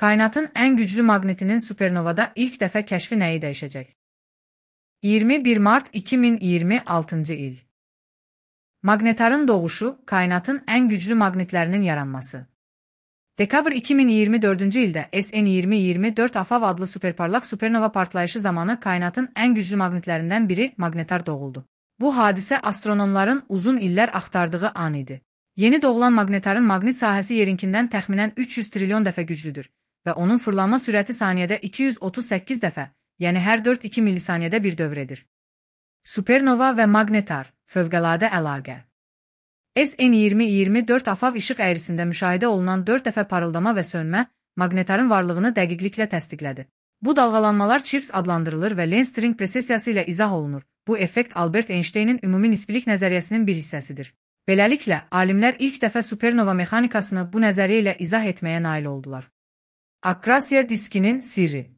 Kainatın ən güclü maqnitinin supernovada ilk dəfə kəşfi nəyi dəyişəcək? 21 mart 2026-cı il. Maqnetarın doğuşu, kainatın ən güclü maqnitlərinin yaranması. Dekabr 2024-cü ildə SN2024 AFAV adlı superparlaq supernova partlayışı zamanı kainatın ən güclü maqnitlərindən biri maqnetar doğuldu. Bu hadisə astronomların uzun illər axtardığı an idi. Yeni doğulan maqnetarın maqnit sahəsi yerinkindən təxminən 300 trilyon dəfə güclüdür və onun fırlanma sürəti saniyədə 238 dəfə, yəni hər 4-2 millisaniyədə bir dövr edir. Supernova və maqnetar, fövqəladə əlaqə. SN2024 AFAV işıq əyrisində müşahidə olunan 4 dəfə parıldama və sönmə, maqnetarın varlığını dəqiqliklə təsdiqlədi. Bu dalğalanmalar Chirps adlandırılır və Lens-String presesiyası ilə izah olunur. Bu effekt Albert Einstein'in ümumi nisbilik nəzəriyyəsinin bir hissəsidir. Beləliklə, alimlər ilk dəfə supernova mexanikasını bu nəzəriyyə ilə izah etməyə nail oldular. Akrasiya diskinin sirri.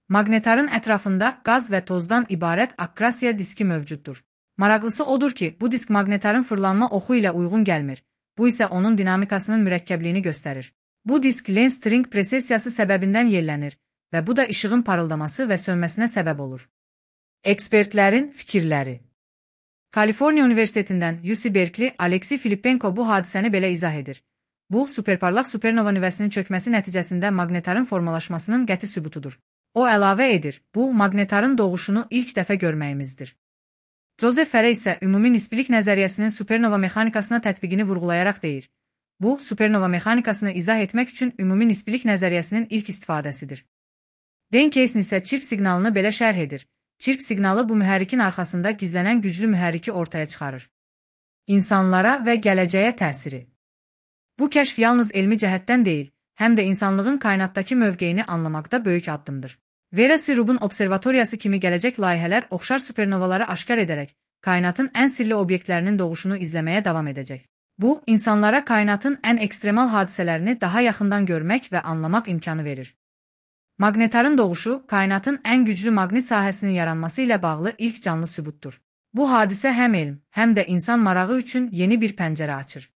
Maqnetarın ətrafında qaz və tozdan ibarət akrasiya diski mövcuddur. Maraqlısı odur ki, bu disk maqnetarın fırlanma oxu ilə uyğun gəlmir. Bu isə onun dinamikasının mürəkkəbliyini göstərir. Bu disk Lens-String presesiyası səbəbindən yellənir və bu da işığın parıldaması və sönməsinə səbəb olur. Ekspertlərin fikirləri. Kaliforniya Universitetindən UC Berkeley Aleksey Filippenko bu hadisəni belə izah edir. Bu, superparlaq supernova nüvəsinin çökməsi nəticəsində maqnetarın formalaşmasının qəti sübutudur. O əlavə edir, bu, maqnetarın doğuşunu ilk dəfə görməyimizdir. Joseph Farey isə ümumi nisbilik nəzəriyyəsinin supernova mexanikasına tətbiqini vurğulayaraq deyir. Bu, supernova mexanikasını izah etmək üçün ümumi nisbilik nəzəriyyəsinin ilk istifadəsidir. Dan Keysn isə çirp siqnalını belə şərh edir. Çirp siqnalı bu mühərrikin arxasında gizlənən güclü mühərriki ortaya çıxarır. İnsanlara və gələcəyə təsiri. Bu kəşf yalnız elmi cəhətdən deyil, həm də insanlığın kainatdakı mövqeyini anlamaqda böyük addımdır. Vera C. observatoriyası kimi gələcək layihələr oxşar supernovaları aşkar edərək, kainatın ən sirli obyektlərinin doğuşunu izləməyə davam edəcək. Bu, insanlara kainatın ən ekstremal hadisələrini daha yaxından görmək və anlamaq imkanı verir. Maqnetarın doğuşu, kainatın ən güclü maqnit sahəsinin yaranması ilə bağlı ilk canlı sübutdur. Bu hadisə həm elm, həm də insan marağı üçün yeni bir pəncərə açır.